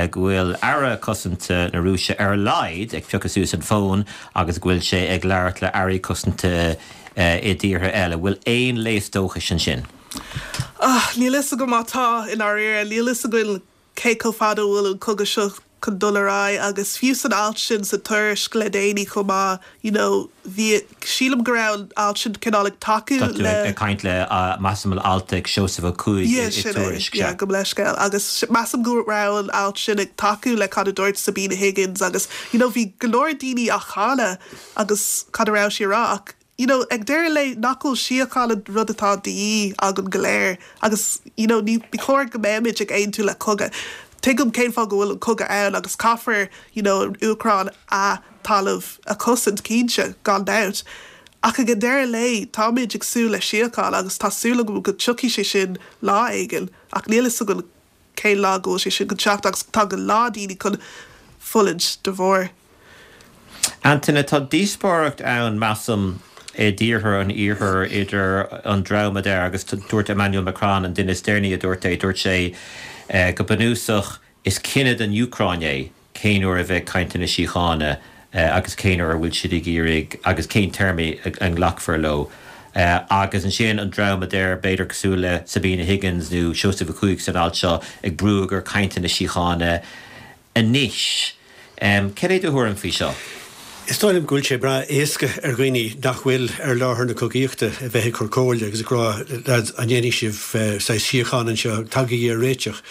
go bhfuil Aire Cosanta na Rúise ar a laghad ag piocadh suas an fón agus go bhfuil sé ag labhairt le Airí Cosanta i dtíortha eile. Bhfuil aon léas dóchais ansin?
Ah, níl fhios agam má tá, i ndáiríre. Níl fhios againn cé chomh fada a bhfuil an cogadh seo chun dul ar aghaidh agus fiú san alt sin sa Tuairisc le déanaí chomh maith, you know, bhí, sílim go raibh an alt sin cineál ag tacú
Tá tú
le.
ag caint le, measaim an alt ag Seosamh Ó Cuaig
Yeah,
i
sin é,
Tuairisc,
yeah,
sea.
gabh mo leithscéal. Agus measaim go raibh an alt sin ag tacú le cad a dúirt Sabina Higgins agus, you know, bhí go leor daoine á cháineadh agus cad a raibh sí a rá ach, you know, ag deireadh lae nach bhfuil síocháin an rud atá de dhíth againn go léir agus, you know, ní ní chóir go mbeimid ag aontú le cogadh. Tuigim cén fáth go bhfuil an cogadh ann agus caithfear, you know, an Úcráin a talamh a chosaint cinnte, gan dabht. Ach ag an deireadh lae táimid ag súil le síocháin agus tá súil agam go dtiocfaidh sé sin lá éigin ach níl fhios againn cén lá go bhfuil sé sin chun teacht agus tá go leor daoine chun fulaingt de bharr.
Antaine, tá díospóireacht ann, measaim, i dtíortha an Iarthair idir an dream a deir, agus dúirt Emmanuel Macron, an duine is deireanaí a dúirt é, dúirt sé go bunúsach is cinneadh don Úcráin é cén uair a bheidh cainteanna síochána agus cén uair a bhfuil siad ag iarraidh agus cén téarmaí a nglacfar leo. Agus ansin an dream a deir, b'fhéidir cosúil le Sabina Higgins nó Seosamh Ó Cuaig san alt seo, ag brú gur cainteanna síochána anois. Cad é do thuairim faoi seo?
Is dóigh liom go bhfuil sé breá éasca ar dhaoine nach bhfuil ar láthair na cogaíochta a bheith ag cur comhairle agus ag rá, lads, an ndéanfaidh sibh saghas síocháin anseo, tagaigí ar réiteach.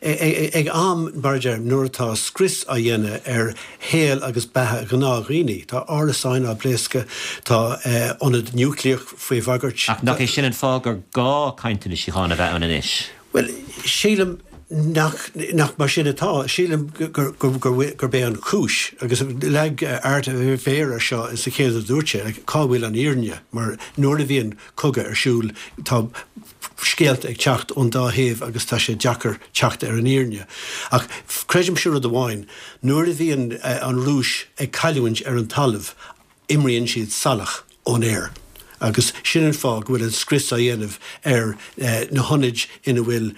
Ag am, mar a deirim, nuair atá scrios á dhéanamh ar shaol agus beatha gnáthdhaoine, tá árasáin á bpléascadh, tá ionad núicléach faoi bhagairt.
Ach nach é sin an fáth gur gá cainteanna síochána a bheith ann anois?
Bhuel, sílim nach, nach mar sin atá. Sílim gur, gur, gur, gurb é an chúis, agus leag Art a mhéar air seo sa chéad a dúirt sé, like, cá bhfuil an fhírinne? Mar nuair a bhíonn cogadh ar siúl, tá scéalta ag teacht ón dá thaobh agus tá sé deacair teacht ar an fhírinne. Ach creidimse rud amháin, nuair a bhíonn an Rúis ag cailliúint ar an talamh, imríonn siad salach ón aer. Agus sin an fáth go bhfuil an scrios á dhéanamh ar na hionaid ina bhfuil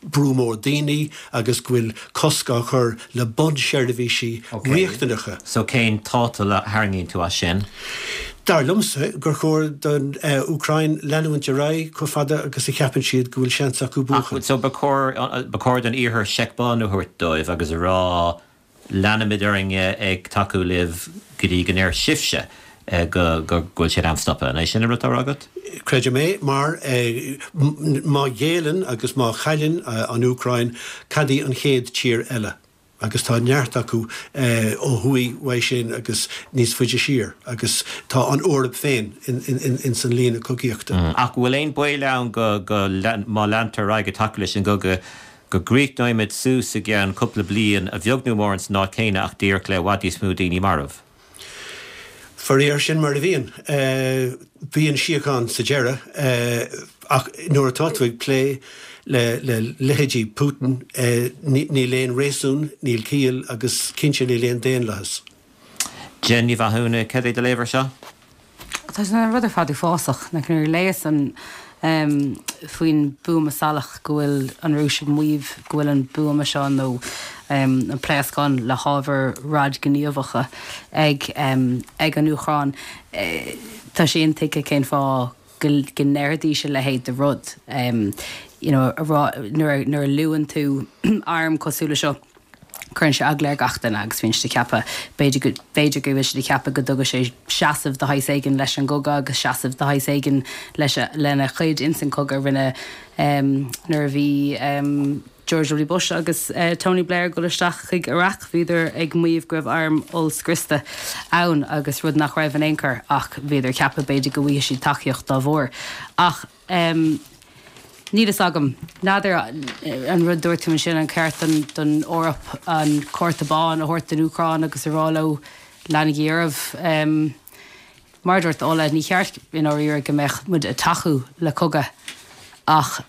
brú mór daoine agus go bhfuil cosc á chur le bunseirbhísí riachtanacha.
So cén tátal a tharraingíonn tú as sin?
Dar liomsa gur chóir don Úcráin leanúint ar aghaidh chomh fada agus a cheapann siad go bhfuil seans acu buachan.
So ba chóir, ba chóir don Iarthar seic bán a thabhairt dóibh agus a rá leanfaimid orainn ag tacú libh go dtí go ndeir sibhse go bhfuil sé in am stopadh. An é sin an rud atá á rá agat?
Creidim é, mar má ghéilleann agus má chailleann an Úcráin, cad í an chéad tír eile? Agus tá neart acu ó thuaidh uaidh sin agus níos faide siar, agus tá an Eoraip féin ins an líne cogaíochta.
Ach bhfuil aon baol ann go, má leantar ar aghaidh ag tacú leis an gcogadh, go gcríochnóimid suas i gceann cúpla bliain, a bheag nó a mhór, san áit chéanna ach díreach le i bhfad níos mó daoine marbh?
Faraor, sin mar a bhíonn. Bíonn síocháin sa deireadh, ach nuair atá tú ag plé le leithéidí Putin, níl aon réasún, níl ciall agus cinnte níl aon daonlathas.
Jen Ní Mhathúna, cad é do léamh air seo?
Tá an rud ar fad uafásach. Like nuair a léas an faoin buama salach go bhfuil an Rúis ag maíomh go bhfuil an buama seo nó an pléascán le hábhair radaighníomhacha ag ag an Úcráin. Tá sé intuigthe cén fáth go go ndéarfaidís a leithéid de rud. You know, a rá nuair nuair a luann tú arm cosúil le seo, Cuireann sé eagla ar gach duine agus bíonn siad ag ceapadh, b'fhéidir go, b'fhéidir go bhfuil siad ag ceapadh go dtugadh sé seasamh de shaghas éigin leis an gcogadh agus seasamh de shaghas éigin leis, lena chuid ins an cogadh a rinne nuair a bhí George W. Bush agus Tony Blair ag dul isteach chuig Iraq, bhíodar ag maíomh go raibh airm ollscriosta ann agus rud nach raibh in aon chor ach bhíodar ag ceapadh b'fhéidir go bhfaighidh siad tacaíocht dá bharr. Ach. Níl fhios agam. N'fheadar an rud dúirt tú ansin, an ceart don Eoraip an cárta bán a thabhairt don Úcráin agus a rá leo leanaigí oraibh. Mar a dúirt Ola, ní cheart i ndáiríre go mbeadh muid ag tacú le cogadh ach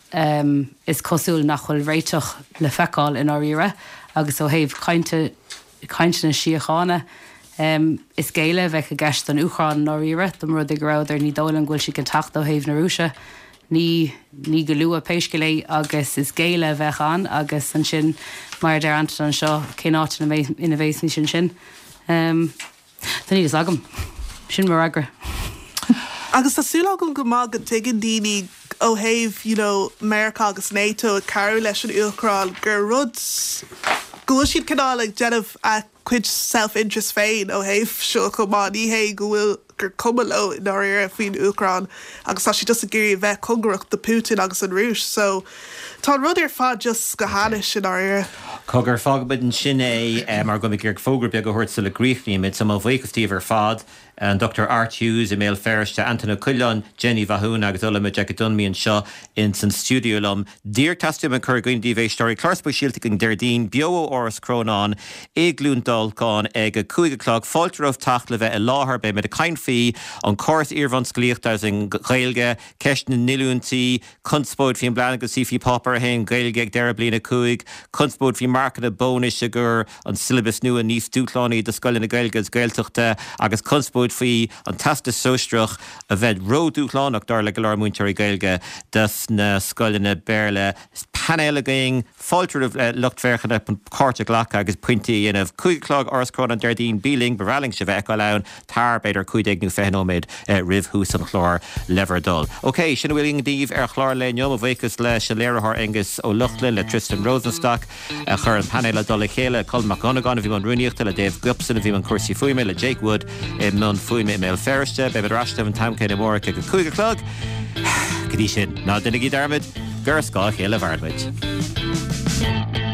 is cosúil nach bhfuil réiteach le feiceáil i ndáiríre agus ó thaobh cainte, cainteanna síochána, is géilleadh a bheadh i gceist don Úcráin i ndáiríre, dá mba rud é go rabhadar, ní dóigh liom go bhfuil siad chun teacht ó thaobh na Rúise. Ní, ní go luath pé scéal é agus is géilleadh a bheadh ann agus ansin, mar a deir Antain anseo, cén áit ina mbeidh, ina bheas muid ansin? Tá níl fhios agam. Sin mo fhreagra.
Agus tá súil agam go maith go dtuigeann daoine ó thaobh, you know, Meiriceá agus NATO ag cabhrú leis an Úcráin gur rud, go bhfuil siad cineál ag déanamh a gcuid self-interest féin ó thaobh seo chomh maith. Ní hé go bhfuil gur cuma leo i ndáiríre faoin Úcráin agus tá siad just ag iarraidh a bheith cóngarach do Putin agus an Rúis. So tá an rud ar fad just go hainnis i ndáiríre.
Cogar, fágfaimid ansin é mar go bhfuil mé ag iarraidh fógra beag a thabhairt sula gcríochnaímid. So mo bhuíochas daoibh ar fad, an Dochtúir Art Hughes i mBéal Feirste, Antain Ó Coileáin, Jenny Mhathúna agus Ola Majekodunmi anseo ins an stiúideo liom. Díreach teastaíonn uaim cur i gcuimhne daoibh a éisteoirí, clár speisialta againn Déardaoin, beo ó Áras Chrónáin i gCluain Dolcáin ag a cúig a chlog. Fáilte romhaibh teacht le bheith i láthair. Beimid ag caint faoi an córas iarbhunscolaíochta agus an Ghaeilge, ceist na ndíolúintí, conspóid faoin bplean go suífí Páipéar a haon Gaeilge ag deireadh bliain a cúig, conspóid faoi marcanna bónais i gcur an siollabas nua níos dúshlánaí do scoileanna Gaeilge agus Gaeltachta agus conspóid faoi an Teastas Sóisearach a bheith ródhúshlánach dar le go leor múinteoirí Gaeilge dos na scoileanna Béarla. Painéal againn, fáilte roimh lucht féachana páirt a ghlacadh agus pointí a dhéanamh. Cúig a chlog, Áras Chrónáin Déardaoin, bí linn, ba bhreá linn sibh a fheiceáil ann, tar b'fhéidir cúig déag nó fiche nóiméad roimh thús an chláir le bhur dtoil. Ok, sin a bhfuil againn daoibh ar chlár an lae inniu. Mo bhuíochas leis an léiritheoir Aengus Ó Lochlainn, le Tristan Rosenstock a chuir an painéal i dtoll a chéile, Colm Mac Dhonnagáin a bhí i mbun rúnaíochta, le Dave Gibson a bhí i mbun cúrsaí fuaime, le Jake Wood i mbun fuaime i mBéal Feirste. Beimid ar ais libh an t-am céanna amárach ag a cúig a chlog. Go dtí sin, ná déanaigí dearmad gur ar scáth a chéile a mhaireann muid.